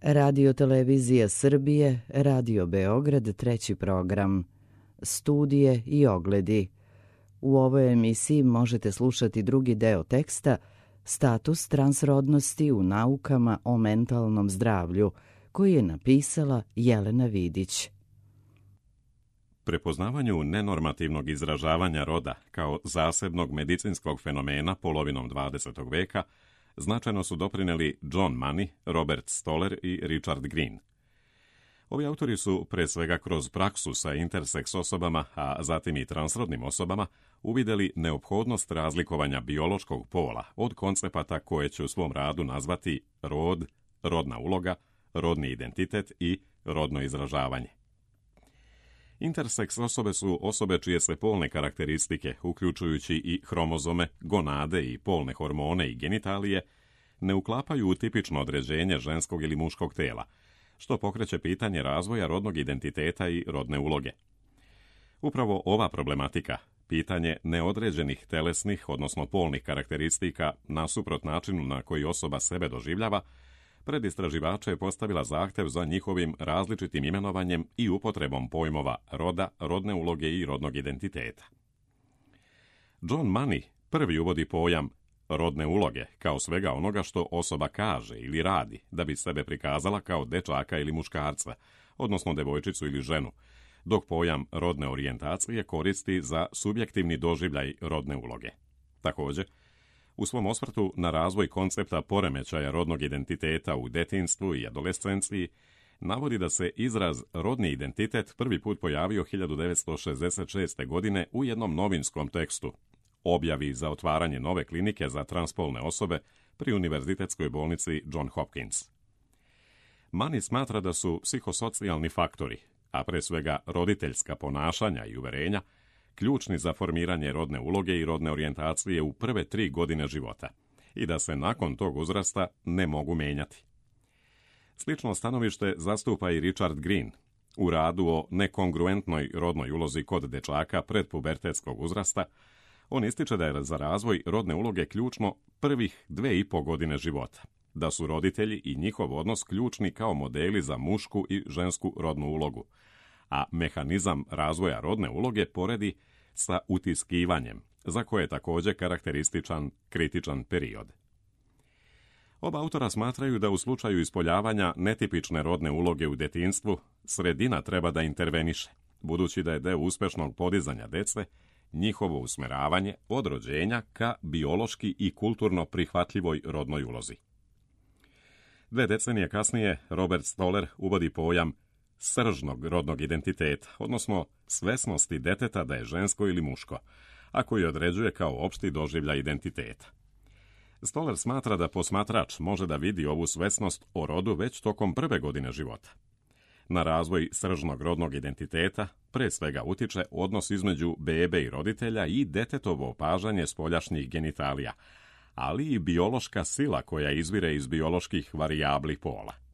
Radio Televizija Srbije, Radio Beograd, treći program. Studije i ogledi. U ovoj emisiji možete slušati drugi deo teksta Status transrodnosti u naukama o mentalnom zdravlju, koji je napisala Jelena Vidić. Prepoznavanju nenormativnog izražavanja roda kao zasebnog medicinskog fenomena polovinom 20. veka značajno su doprineli John Money, Robert Stoller i Richard Green. Ovi autori su, pre svega kroz praksu sa interseks osobama, a zatim i transrodnim osobama, uvidjeli neophodnost razlikovanja biološkog pola od koncepata koje će u svom radu nazvati rod, rodna uloga, rodni identitet i rodno izražavanje. Interseks osobe su osobe čije se polne karakteristike, uključujući i hromozome, gonade i polne hormone i genitalije, ne uklapaju u tipično određenje ženskog ili muškog tela, što pokreće pitanje razvoja rodnog identiteta i rodne uloge. Upravo ova problematika, pitanje neodređenih telesnih, odnosno polnih karakteristika nasuprot načinu na koji osoba sebe doživljava, pred istraživače je postavila zahtev za njihovim različitim imenovanjem i upotrebom pojmova roda, rodne uloge i rodnog identiteta. John Money prvi uvodi pojam rodne uloge kao svega onoga što osoba kaže ili radi da bi sebe prikazala kao dečaka ili muškarca, odnosno devojčicu ili ženu, dok pojam rodne orijentacije koristi za subjektivni doživljaj rodne uloge. Također, u svom osvrtu na razvoj koncepta poremećaja rodnog identiteta u detinjstvu i adolescenciji, navodi da se izraz rodni identitet prvi put pojavio 1966. godine u jednom novinskom tekstu, objavi za otvaranje nove klinike za transpolne osobe pri Univerzitetskoj bolnici John Hopkins. Money smatra da su psihosocijalni faktori, a pre svega roditeljska ponašanja i uverenja, ključni za formiranje rodne uloge i rodne orijentacije u prve 3 godine života i da se nakon tog uzrasta ne mogu menjati. Slično stanovište zastupa i Richard Green u radu o nekongruentnoj rodnoj ulozi kod dečaka predpubertetskog uzrasta. On ističe da je za razvoj rodne uloge ključno prvih 2,5 godine života, da su roditelji i njihov odnos ključni kao modeli za mušku i žensku rodnu ulogu, a mehanizam razvoja rodne uloge poredi sa utiskivanjem, za koje je također karakterističan kritičan period. Oba autora smatraju da u slučaju ispoljavanja netipične rodne uloge u detinjstvu, sredina treba da interveniše, budući da je deo uspešnog podizanja dece njihovo usmeravanje od rođenja ka biološki i kulturno prihvatljivoj rodnoj ulozi. 2 decenije kasnije Robert Stoller uvodi pojam sržnog rodnog identiteta, odnosno svesnosti deteta da je žensko ili muško, a koji određuje kao opšti doživljaj identiteta. Stoller smatra da posmatrač može da vidi ovu svesnost o rodu već tokom prve godine života. Na razvoj sržnog rodnog identiteta pre svega utiče odnos između bebe i roditelja i detetovo opažanje spoljašnjih genitalija, ali i biološka sila koja izvire iz bioloških varijabli pola.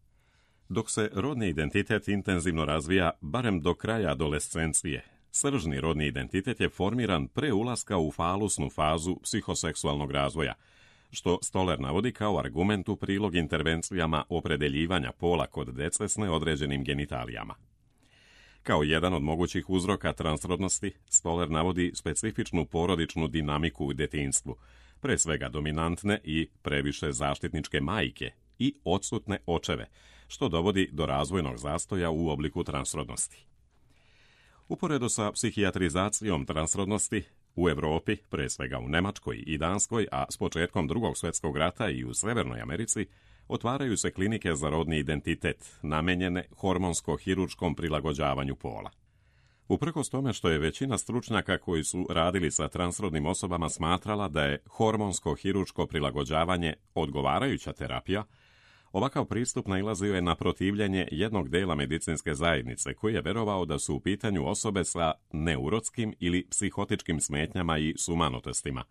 Dok se rodni identitet intenzivno razvija barem do kraja adolescencije, sržni rodni identitet je formiran pre ulaska u falusnu fazu psihoseksualnog razvoja, što Stoller navodi kao argument u prilog intervencijama opredeljivanja pola kod dece s neodređenim genitalijama. Kao jedan od mogućih uzroka transrodnosti, Stoller navodi specifičnu porodičnu dinamiku u detinjstvu, pre svega dominantne i previše zaštitničke majke i odsutne očeve, što dovodi do razvojnog zastoja u obliku transrodnosti. Uporedo sa psihijatrizacijom transrodnosti, u Evropi, pre svega u Nemačkoj i Danskoj, a s početkom Drugog svjetskog rata i u Severnoj Americi, otvaraju se klinike za rodni identitet, namenjene hormonsko-hiručkom prilagođavanju pola. Uprkos tome što je većina stručnjaka koji su radili sa transrodnim osobama smatrala da je hormonsko-hiručko prilagođavanje odgovarajuća terapija, ovakav pristup nailazio je na protivljenje jednog dela medicinske zajednice koji je verovao da su u pitanju osobe sa neurotskim ili psihotičkim smetnjama i sumanotestima,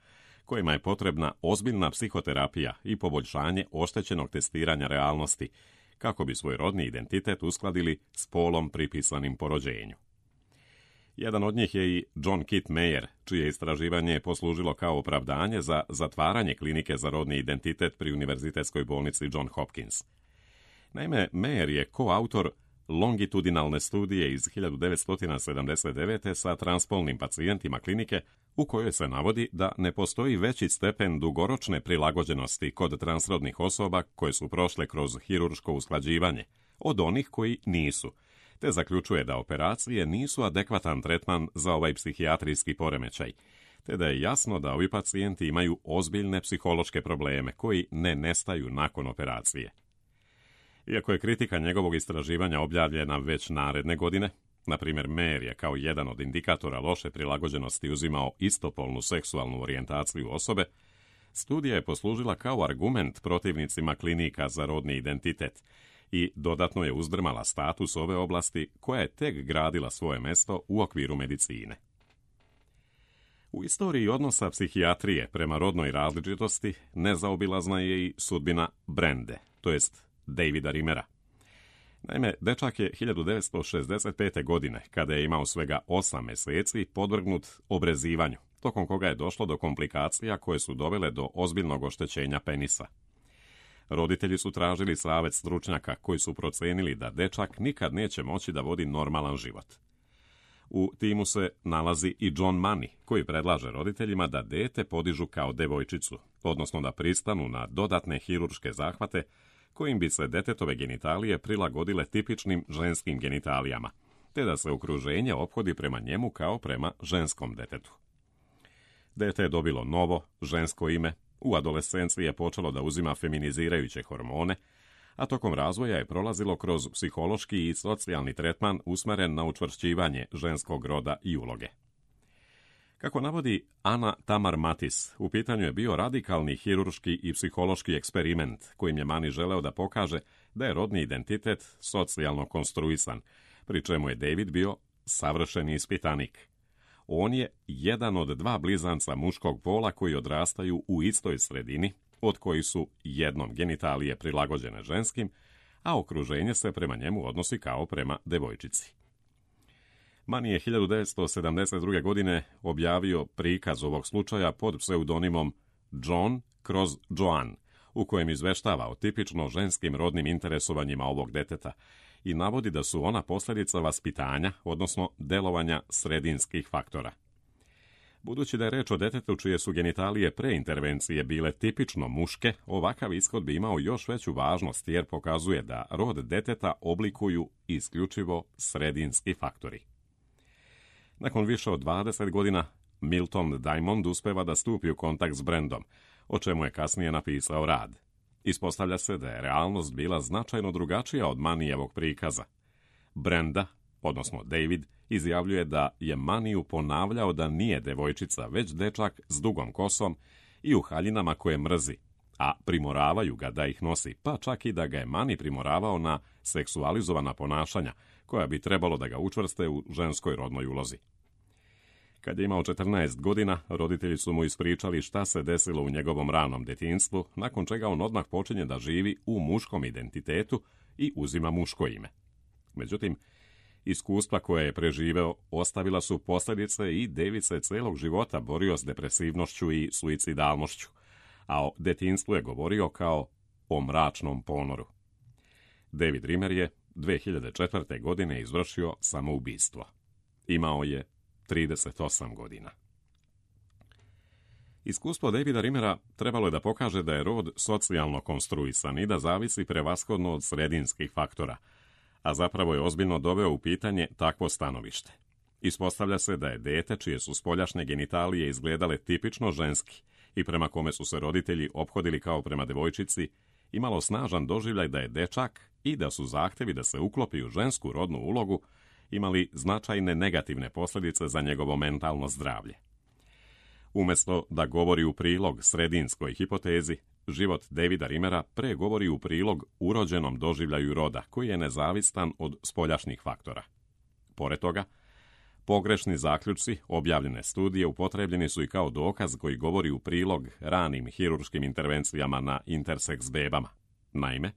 kojima je potrebna ozbiljna psihoterapija i poboljšanje oštećenog testiranja realnosti, kako bi svoj rodni identitet uskladili s polom pripisanim po rođenju. Jedan od njih je i John Kit Meyer, čije istraživanje je poslužilo kao opravdanje za zatvaranje klinike za rodni identitet pri Univerzitetskoj bolnici John Hopkins. Naime, Mayer je koautor longitudinalne studije iz 1979. sa transpolnim pacijentima klinike u kojoj se navodi da ne postoji veći stepen dugoročne prilagođenosti kod transrodnih osoba koje su prošle kroz hirurško usklađivanje od onih koji nisu, te zaključuje da operacije nisu adekvatan tretman za ovaj psihijatrijski poremećaj, te da je jasno da ovi pacijenti imaju ozbiljne psihološke probleme koji ne nestaju nakon operacije. Iako je kritika njegovog istraživanja objavljena već naredne godine, na primjer Mayer je kao jedan od indikatora loše prilagođenosti uzimao istopolnu seksualnu orijentaciju osobe, studija je poslužila kao argument protivnicima klinika za rodni identitet i dodatno je uzdrmala status ove oblasti koja je tek gradila svoje mesto u okviru medicine. U istoriji odnosa psihijatrije prema rodnoj različitosti nezaobilazna je i sudbina Brende, to jest Davida Rimera. Naime, dečak je 1965. godine, kada je imao svega 8 meseci, podvrgnut obrezivanju, tokom koga je došlo do komplikacija koje su dovele do ozbiljnog oštećenja penisa. Roditelji su tražili savjet stručnjaka koji su procenili da dečak nikad neće moći da vodi normalan život. U timu se nalazi i John Money, koji predlaže roditeljima da dete podižu kao devojčicu, odnosno da pristanu na dodatne hirurške zahvate kojim bi se detetove genitalije prilagodile tipičnim ženskim genitalijama, te da se okruženje ophodi prema njemu kao prema ženskom detetu. Dete je dobilo novo, žensko ime, u adolescenciji je počelo da uzima feminizirajuće hormone, a tokom razvoja je prolazilo kroz psihološki i socijalni tretman usmeren na učvršćivanje ženskog roda i uloge. Kako navodi Ana Tamar Matis, u pitanju je bio radikalni hirurški i psihološki eksperiment kojim je Mani želeo da pokaže da je rodni identitet socijalno konstruisan, pri čemu je David bio savršeni ispitanik. On je jedan od 2 blizanca muškog pola koji odrastaju u istoj sredini, od kojih su jednom genitalije prilagođene ženskim, a okruženje se prema njemu odnosi kao prema devojčici. Mani je 1972. godine objavio prikaz ovog slučaja pod pseudonimom John kroz Joan, u kojem izveštava o tipično ženskim rodnim interesovanjima ovog deteta i navodi da su ona posljedica vaspitanja, odnosno delovanja sredinskih faktora. Budući da je reč o detetu čije su genitalije pre intervencije bile tipično muške, ovakav ishod bi imao još veću važnost jer pokazuje da rod deteta oblikuju isključivo sredinski faktori. Nakon više od 20 godina, Milton Diamond uspeva da stupi u kontakt s Brendom, o čemu je kasnije napisao rad. Ispostavlja se da je realnost bila značajno drugačija od Manijevog prikaza. Brenda, odnosno David, izjavljuje da je Maniju ponavljao da nije devojčica, već dečak s dugom kosom i u haljinama koje mrzi, a primoravaju ga da ih nosi, pa čak i da ga je Mani primoravao na seksualizovana ponašanja, koja bi trebalo da ga učvrste u ženskoj rodnoj ulozi. Kad je imao 14 godina, roditelji su mu ispričali šta se desilo u njegovom ranom detinjstvu, nakon čega on odmah počinje da živi u muškom identitetu i uzima muško ime. Međutim, iskustva koje je preživeo ostavila su posljedice i David se celog života borio s depresivnošću i suicidalnošću, a o detinjstvu je govorio kao o mračnom ponoru. David Rimmer je 2004. godine izvršio samoubistvo. Imao je 38 godina. Iskustvo Davida Rimmera trebalo je da pokaže da je rod socijalno konstruisan i da zavisi prevashodno od sredinskih faktora, a zapravo je ozbiljno doveo u pitanje takvo stanovište. Ispostavlja se da je dete čije su spoljašnje genitalije izgledale tipično ženski i prema kome su se roditelji ophodili kao prema devojčici, imalo snažan doživljaj da je dečak i da su zahtevi da se uklopi u žensku rodnu ulogu imali značajne negativne posljedice za njegovo mentalno zdravlje. Umjesto da govori u prilog sredinskoj hipotezi, život Davida Rimmera pre govori u prilog urođenom doživljaju roda, koji je nezavistan od spoljašnjih faktora. Pored toga, pogrešni zaključci objavljene studije upotrebljeni su i kao dokaz koji govori u prilog ranim hirurškim intervencijama na interseks bebama. Naime,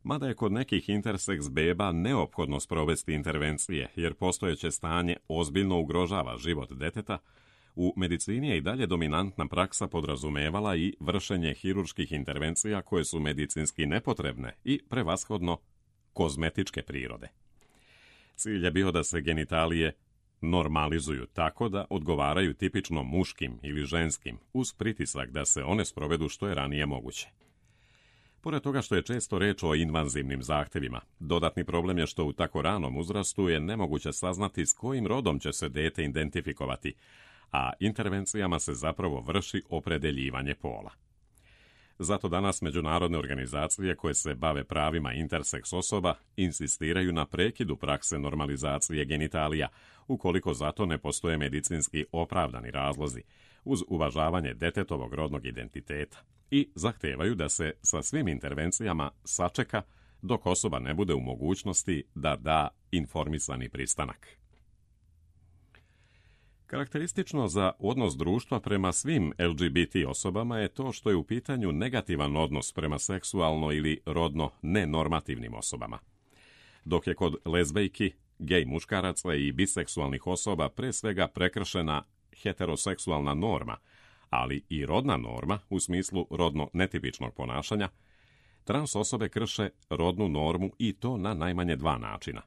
mada je kod nekih interseks beba neophodno sprovesti intervencije, jer postojeće stanje ozbiljno ugrožava život deteta, u medicini je i dalje dominantna praksa podrazumevala i vršenje hirurških intervencija koje su medicinski nepotrebne i prevashodno kozmetičke prirode. Cilj je bio da se genitalije normalizuju tako da odgovaraju tipično muškim ili ženskim, uz pritisak da se one sprovedu što je ranije moguće. Pored toga što je često reč o invazivnim zahtevima, dodatni problem je što u tako ranom uzrastu je nemoguće saznati s kojim rodom će se dete identifikovati, a intervencijama se zapravo vrši opredeljivanje pola. Zato danas međunarodne organizacije koje se bave pravima interseks osoba insistiraju na prekidu prakse normalizacije genitalija, ukoliko zato ne postoje medicinski opravdani razlozi, uz uvažavanje detetovog rodnog identiteta, i zahtevaju da se sa svim intervencijama sačeka dok osoba ne bude u mogućnosti da da informisani pristanak. Karakteristično za odnos društva prema svim LGBT osobama je to što je u pitanju negativan odnos prema seksualno ili rodno nenormativnim osobama. Dok je kod lezbejki, gej muškaraca i biseksualnih osoba pre svega prekršena heteroseksualna norma, ali i rodna norma u smislu rodno netipičnog ponašanja, trans osobe krše rodnu normu i to na najmanje dva načina.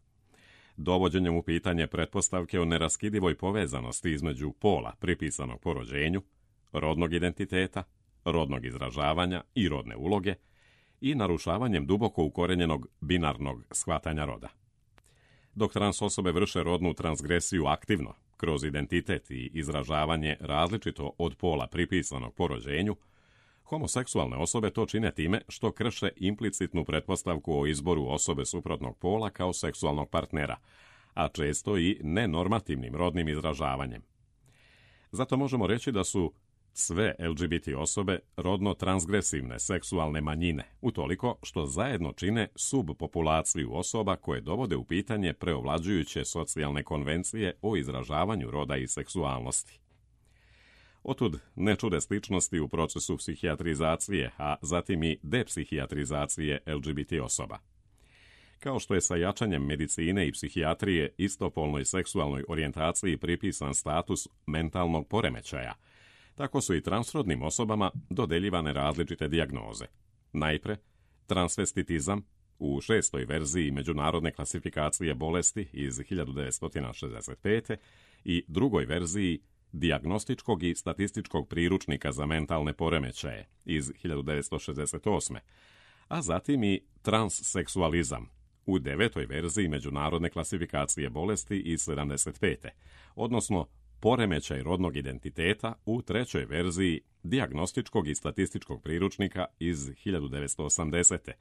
Dovođenjem u pitanje pretpostavke o neraskidivoj povezanosti između pola pripisanog po rođenju, rodnog identiteta, rodnog izražavanja i rodne uloge i narušavanjem duboko ukorenjenog binarnog shvatanja roda. Dok trans osobe vrše rodnu transgresiju aktivno, kroz identitet i izražavanje različito od pola pripisanog po rođenju, homoseksualne osobe to čine time što krše implicitnu pretpostavku o izboru osobe suprotnog pola kao seksualnog partnera, a često i nenormativnim rodnim izražavanjem. Zato možemo reći da su sve LGBT osobe rodno transgresivne seksualne manjine, utoliko što zajedno čine subpopulaciju osoba koje dovode u pitanje preovlađujuće socijalne konvencije o izražavanju roda i seksualnosti. Otud ne čude sličnosti u procesu psihijatrizacije, a zatim i depsihijatrizacije LGBT osoba. Kao što je sa jačanjem medicine i psihijatrije istopolnoj seksualnoj orijentaciji pripisan status mentalnog poremećaja, tako su i transrodnim osobama dodeljivane različite dijagnoze. Najpre, transvestitizam u 6. verziji međunarodne klasifikacije bolesti iz 1965. i 2. verziji dijagnostičkog i statističkog priručnika za mentalne poremećaje iz 1968. a zatim i transseksualizam u 9. verziji međunarodne klasifikacije bolesti iz 75. odnosno poremećaj rodnog identiteta u 3. verziji dijagnostičkog i statističkog priručnika iz 1980.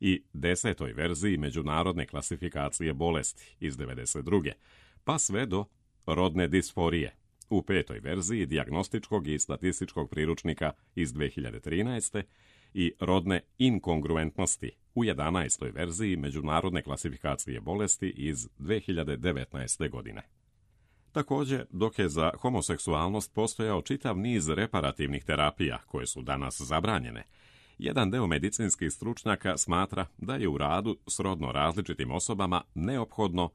i 10. verziji međunarodne klasifikacije bolesti iz 92. pa sve do rodne disforije u 5. verziji dijagnostičkog i statističkog priručnika iz 2013. i rodne inkongruentnosti u 11. verziji međunarodne klasifikacije bolesti iz 2019. godine. Također, dok je za homoseksualnost postojao čitav niz reparativnih terapija koje su danas zabranjene, jedan deo medicinskih stručnjaka smatra da je u radu s rodno različitim osobama neophodno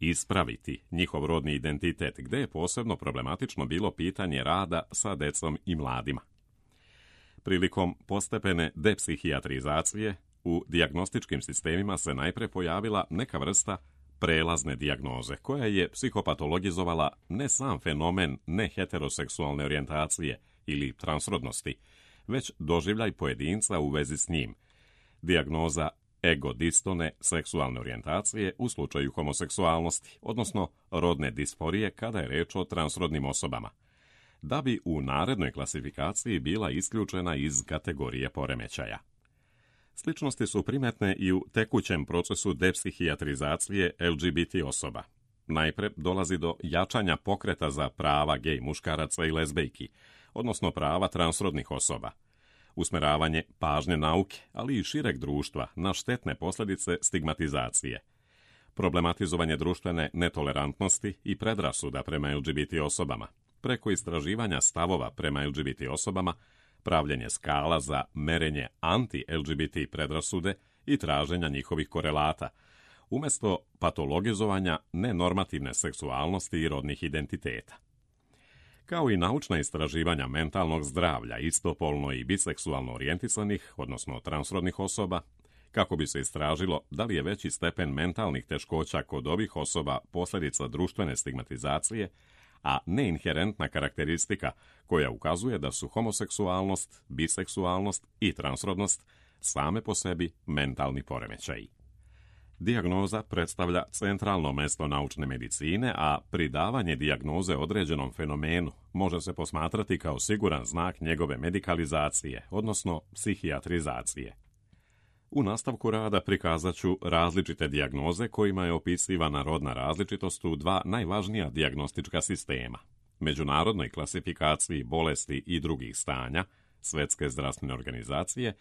ispraviti njihov rodni identitet, gde je posebno problematično bilo pitanje rada sa decom i mladima. Prilikom postepene depsihijatrizacije u dijagnostičkim sistemima se najpre pojavila neka vrsta prelazne dijagnoze, koja je psihopatologizovala ne sam fenomen neheteroseksualne orijentacije ili transrodnosti, već doživljaj pojedinca u vezi s njim. Dijagnoza egodistone seksualne orijentacije u slučaju homoseksualnosti, odnosno rodne disforije kada je reč o transrodnim osobama, da bi u narednoj klasifikaciji bila isključena iz kategorije poremećaja. Sličnosti su primetne i u tekućem procesu depsihijatrizacije LGBT osoba. Najpre dolazi do jačanja pokreta za prava gej muškaraca i lezbejki, odnosno prava transrodnih osoba. Usmeravanje pažnje nauke, ali i šireg društva na štetne posljedice stigmatizacije. Problematizovanje društvene netolerantnosti i predrasuda prema LGBT osobama, preko istraživanja stavova prema LGBT osobama, pravljenje skala za merenje anti-LGBT predrasude i traženja njihovih korelata, umjesto patologizovanja nenormativne seksualnosti i rodnih identiteta. Kao i naučna istraživanja mentalnog zdravlja istopolno i biseksualno orijentisanih, odnosno transrodnih osoba, kako bi se istražilo da li je veći stepen mentalnih teškoća kod ovih osoba posljedica društvene stigmatizacije, a ne inherentna karakteristika koja ukazuje da su homoseksualnost, biseksualnost i transrodnost same po sebi mentalni poremećaji. Dijagnoza predstavlja centralno mesto naučne medicine, a pridavanje dijagnoze određenom fenomenu može se posmatrati kao siguran znak njegove medikalizacije, odnosno psihijatrizacije. U nastavku rada prikazat ću različite dijagnoze kojima je opisivana rodna različitost u dva najvažnija dijagnostička sistema, međunarodnoj klasifikaciji bolesti i drugih stanja, Svjetske zdravstvene organizacije,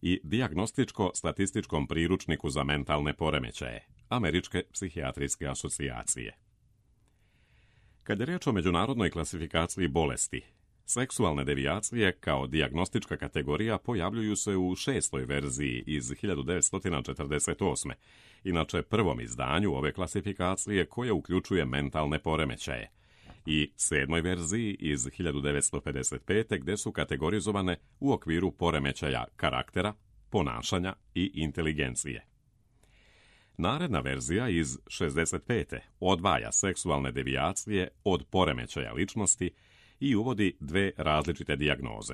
i dijagnostičko-statističkom priručniku za mentalne poremećaje, Američke psihijatrijske asocijacije. Kad je riječ o međunarodnoj klasifikaciji bolesti, seksualne devijacije kao dijagnostička kategorija pojavljuju se u 6. verziji iz 1948. inače prvom izdanju ove klasifikacije koje uključuje mentalne poremećaje, i 7. verziji iz 1955. gdje su kategorizovane u okviru poremećaja karaktera, ponašanja i inteligencije. Naredna verzija iz 65. odvaja seksualne devijacije od poremećaja ličnosti i uvodi dve različite dijagnoze: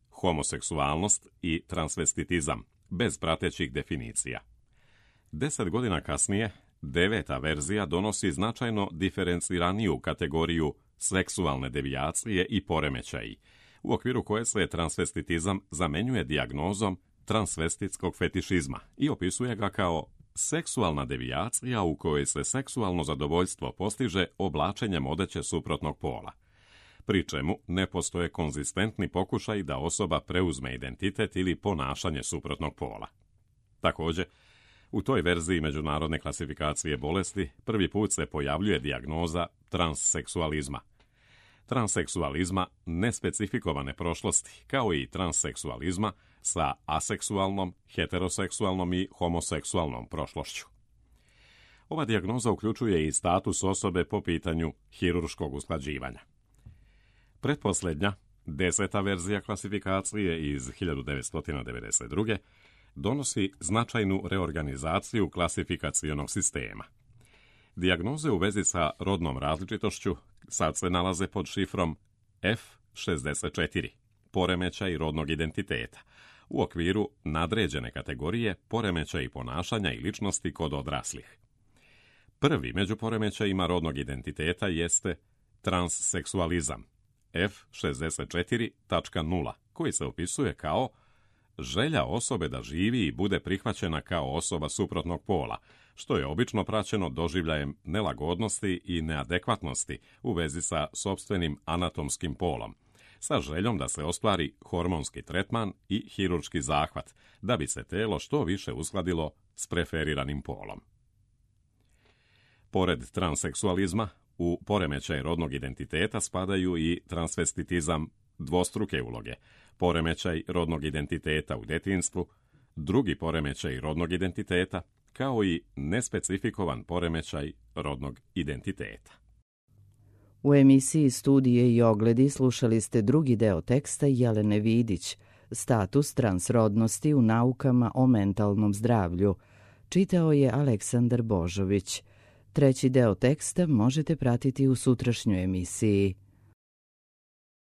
homoseksualnost i transvestitizam, bez pratećih definicija. 10 godina kasnije, 9. verzija donosi značajno diferenciraniju kategoriju seksualne devijacije i poremećaji, u okviru koje se transvestitizam zamenjuje dijagnozom transvestitskog fetišizma i opisuje ga kao seksualna devijacija u kojoj se seksualno zadovoljstvo postiže oblačenjem odeće suprotnog pola, pri čemu ne postoje konzistentni pokušaj da osoba preuzme identitet ili ponašanje suprotnog pola. Također, u toj verziji međunarodne klasifikacije bolesti prvi put se pojavljuje dijagnoza transseksualizma. Transseksualizma nespecifikovane prošlosti, kao i transseksualizma sa aseksualnom, heteroseksualnom i homoseksualnom prošlošću. Ova dijagnoza uključuje i status osobe po pitanju hirurškog usklađivanja. Pretposljednja, 10. verzija klasifikacije iz 1992. donosi značajnu reorganizaciju klasifikacionog sistema. Dijagnoze u vezi sa rodnom različitošću sad se nalaze pod šifrom F64, poremećaj rodnog identiteta, u okviru nadređene kategorije poremećaji ponašanja i ličnosti kod odraslih. Prvi među poremećajima rodnog identiteta jeste transseksualizam, F64.0, koji se opisuje kao želja osobe da živi i bude prihvaćena kao osoba suprotnog pola, što je obično praćeno doživljajem nelagodnosti i neadekvatnosti u vezi sa sopstvenim anatomskim polom, sa željom da se ostvari hormonski tretman i hirurški zahvat, da bi se telo što više uskladilo s preferiranim polom. Pored transseksualizma, u poremećaj rodnog identiteta spadaju i transvestitizam dvostruke uloge, poremećaj rodnog identiteta u djetinjstvu, drugi poremećaj rodnog identiteta, kao i nespecifikovan poremećaj rodnog identiteta. U emisiji Studije i ogledi slušali ste drugi deo teksta Jelene Vidić, Status transrodnosti u naukama o mentalnom zdravlju. Čitao je Aleksandar Božović. Treći deo teksta možete pratiti u sutrašnjoj emisiji.